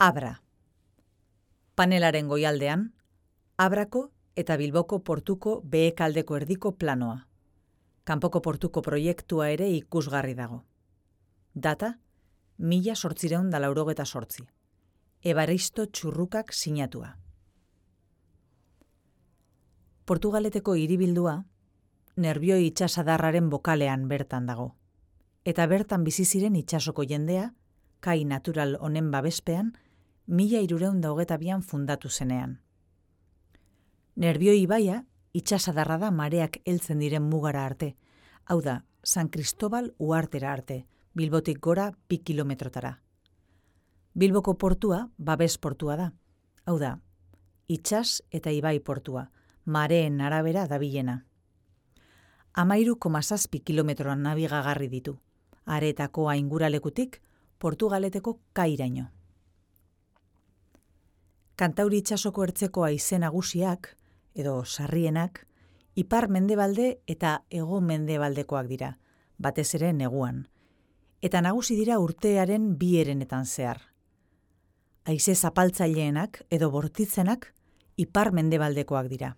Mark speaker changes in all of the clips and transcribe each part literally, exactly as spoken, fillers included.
Speaker 1: Abra. Panelaren goialdean, Abrako eta Bilboko portuko behekaldeko erdiko planoa. Kanpoko portuko proiektua ere ikusgarri dago. Data, mila sortzireun da laurogeta sortzi. Ebaristo Txurrukak sinatua. Portugaleteko hiribildua, Nerbioi itsasadarraren bokalean bertan dago. Eta bertan bizi ziren itsasoko jendea, kai natural honen babespean, mila hirureun da hogeta bian fundatu zenean. Nerbioi ibaia itsasadarra da mareak heltzen diren mugara arte, hau da, San Cristobal uhartera arte, Bilbotik gora bi kilometrotara. Bilboko portua babes portua da, hau da, itsas eta ibai portua, mareen arabera dabilena. Amairu koma zazpi kilometroan nabigagarri ditu, aretako ainguralekutik Portugaleteko kairaino. Kantauri itsasoko ertzeko haize nagusiak, edo sarrienak, ipar mendebalde eta hego mendebaldekoak dira, batez ere neguan, eta nagusi dira urtearen bi herenetan zehar. Haize zapaltzaileenak edo bortitzenak ipar mendebaldekoak dira.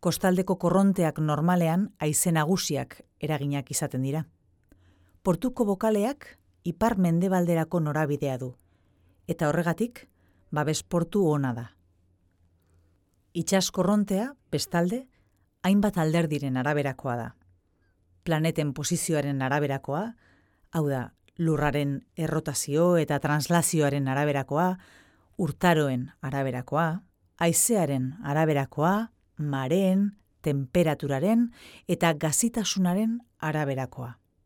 Speaker 1: Kostaldeko korronteak normalean haize nagusiak eraginak izaten dira. Portuko bokaleak ipar mendebalderako norabidea du, eta horregatik babes portu ona da. Itsas korrontea, bestalde, hainbat alderdiren araberakoa da. Planeten posizioaren araberakoa, hau da, lurraren errotazio eta translazioaren araberakoa, urtaroen araberakoa, haizearen araberakoa, mareen, temperaturaren eta gazitasunaren araberakoa.